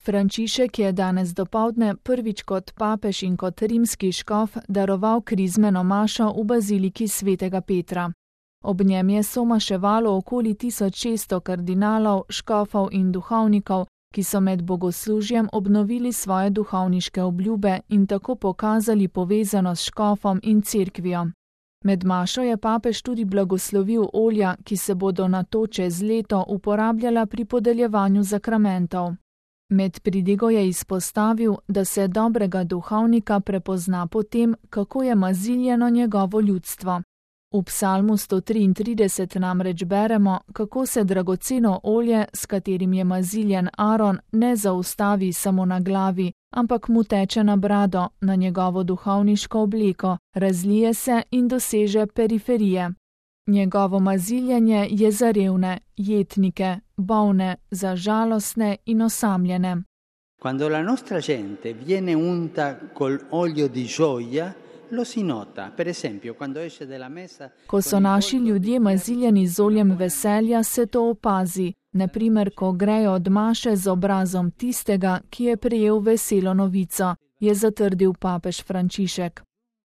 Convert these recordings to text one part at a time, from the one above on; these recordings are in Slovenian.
Frančišek je danes dopoldne prvič kot papež in kot rimski škof daroval krizmeno mašo v baziliki svetega Petra. Ob njem je somaševalo okoli 1600 kardinalov, škofov in duhovnikov, ki so med bogoslužjem obnovili svoje duhovniške obljube in tako pokazali povezanost s škofom in cerkvijo. Med mašo je papež tudi blagoslovil olja, ki se bodo nato čez leto uporabljala pri podeljevanju sakramentov. Med pridigo je izpostavil, da se dobrega duhovnika prepozna po tem, kako je maziljeno njegovo ljudstvo. V psalmu 133 namreč beremo, kako se dragoceno olje, s katerim je maziljen Aron, ne zaustavi samo na glavi, ampak mu teče na brado, na njegovo duhovniško obleko, razlije se in doseže periferije. Njegovo maziljenje je za revne, jetnike, bolne, za žalostne in osamljene. Quando la nostra gente viene unta col olio di gioia, lo si nota. Per esempio, quando esce della messa. Ko so naši ljudje maziljeni z oljem veselja, se to opazi. Na primer, ko grejo od maše z obrazom tistega, ki je prejel veselo novico, je zatrdil papež Frančišek.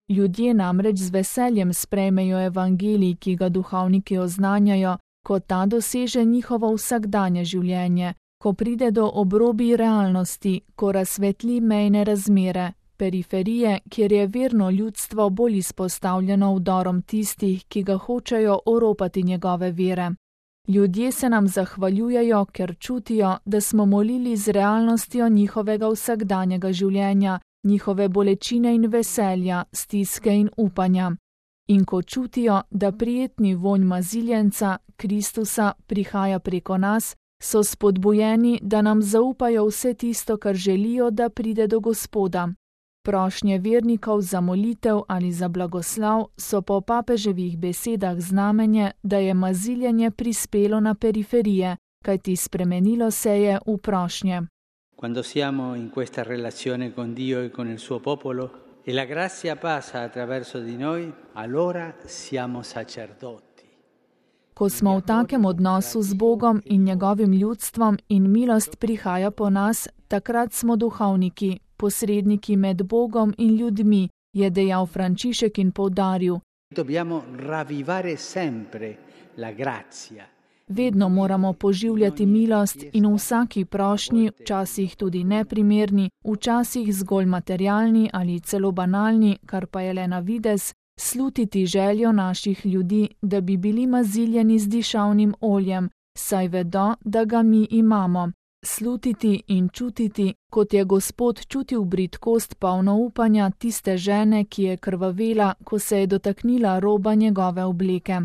Ljudje namreč z veseljem sprejmejo evangelij, ki ga duhovniki oznanjajo, ko ta doseže njihovo vsakdanje življenje, ko pride do obrobij realnosti, ko razsvetli mejne razmere, periferije, kjer je verno ljudstvo bolj izpostavljeno vdorom tistih, ki ga hočejo oropati njegove vere. Ljudje se nam zahvaljujejo, ker čutijo, da smo molili z realnostjo njihovega vsakdanjega življenja, njihove bolečine in veselja, stiske in upanja. In ko čutijo, da prijetni vonj maziljenca, Kristusa, prihaja preko nas, so spodbujeni, da nam zaupajo vse tisto, kar želijo, da pride do Gospoda. Prošnje vernikov za molitev ali za blagoslov so po papeževih besedah znamenje, da je maziljenje prispelo na periferije, kajti spremenilo se je v prošnje. Quando siamo in questa relazione con Dio e con il suo popolo e la grazia passa attraverso di noi, allora siamo sacerdoti. Ko smo v takem odnosu z Bogom in njegovim ljudstvom in milost prihaja po nas, takrat smo duhovniki, posredniki med Bogom in ljudmi, je dejal Frančišek in poudaril. Dobbiamo ravvivare sempre la grazia. Vedno moramo poživljati milost in v vsaki prošnji, včasih tudi neprimerni, včasih zgolj materialni ali celo banalni, kar pa je le na videz, slutiti željo naših ljudi, da bi bili maziljeni z dišavnim oljem, saj vedo, da ga mi imamo. Slutiti in čutiti, kot je Gospod čutil bridkost polno upanja tiste žene, ki je krvavela, ko se je dotaknila roba njegove obleke.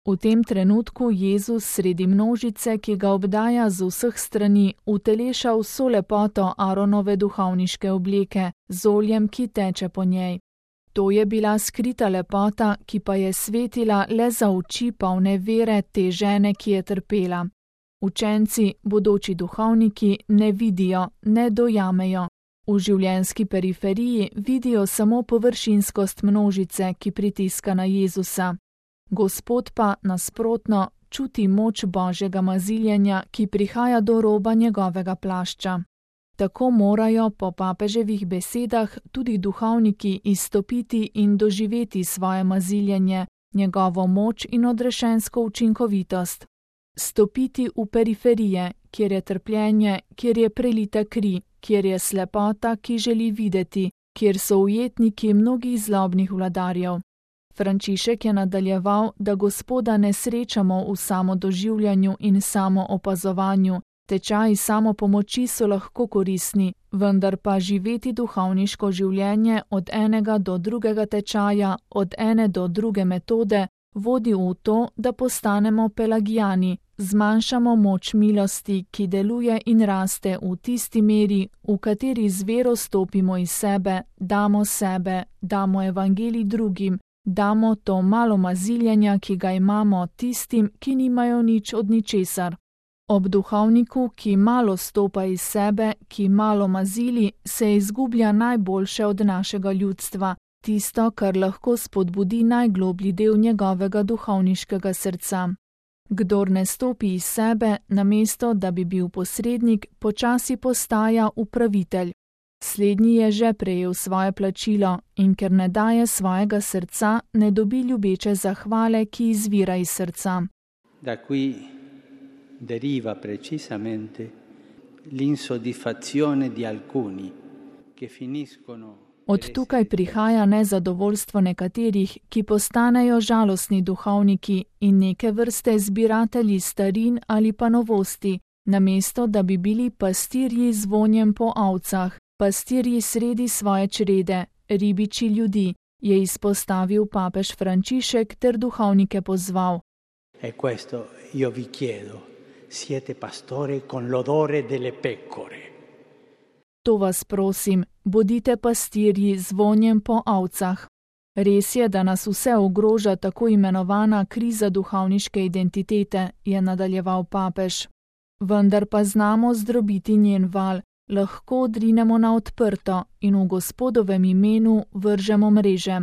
V tem trenutku Jezus sredi množice, ki ga obdaja z vseh strani, uteleša vso lepoto Aronove duhovniške obleke, z oljem, ki teče po njej. To je bila skrita lepota, ki pa je svetila le za oči polne vere te žene, ki je trpela. Učenci, bodoči duhovniki, ne vidijo, ne dojamejo. V življenjski periferiji vidijo samo površinskost množice, ki pritiska na Jezusa. Gospod pa, nasprotno, čuti moč Božjega maziljenja, ki prihaja do roba njegovega plašča. Tako morajo, po papeževih besedah, tudi duhovniki izstopiti in doživeti svoje maziljenje, njegovo moč in odrešensko učinkovitost. Stopiti v periferije, kjer je trpljenje, kjer je prelita kri, kjer je slepota, ki želi videti, kjer so ujetniki mnogih zlobnih vladarjev. Frančišek je nadaljeval, da Gospoda ne srečamo v samodoživljanju in samoopazovanju. Tečaji samopomoči so lahko koristni, vendar pa živeti duhovniško življenje od enega do drugega tečaja, od ene do druge metode, vodi v to, da postanemo pelagijani, zmanjšamo moč milosti, ki deluje in raste v tisti meri, v kateri z vero stopimo iz sebe, damo evangelij drugim, damo to malo maziljenja, ki ga imamo tistim, ki nimajo nič od ničesar. Ob duhovniku, ki malo stopa iz sebe, ki malo mazili, se izgublja najboljše od našega ljudstva, tisto, kar lahko spodbudi najgloblji del njegovega duhovniškega srca. Kdor ne stopi iz sebe, namesto da bi bil posrednik, počasi postaja upravitelj. Slednji je že prejel svoje plačilo in ker ne daje svojega srca, ne dobi ljubeče zahvale, ki izvira iz srca. Da qui deriva precisamente l'insoddisfazione di alcuni che finiscono. Od tukaj prihaja nezadovoljstvo nekaterih, ki postanejo žalostni duhovniki in neke vrste zbiratelji starin ali pa novosti, namesto da bi bili pastirji z vonjem po ovcah, pastirji sredi svoje črede, ribiči ljudi, je izpostavil papež Frančišek ter duhovnike pozval. E questo io vi chiedo, siete pastore con l'odore delle pecore. To vas prosim, bodite pastirji z vonjem po ovcah. Res je, da nas vse ogroža tako imenovana kriza duhovniške identitete, je nadaljeval papež. Vendar pa znamo zdrobiti njen val, lahko odrinemo na odprto in v Gospodovem imenu vržemo mreže.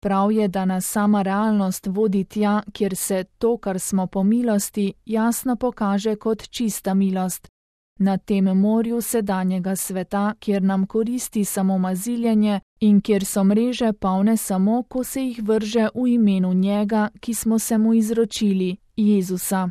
Prav je, da nas sama realnost vodi tja, kjer se to, kar smo po milosti, jasno pokaže kot čista milost. Na tem morju sedanjega sveta, kjer nam koristi samo maziljenje in kjer so mreže polne samo, ko se jih vrže v imenu njega, ki smo se mu izročili, Jezusa.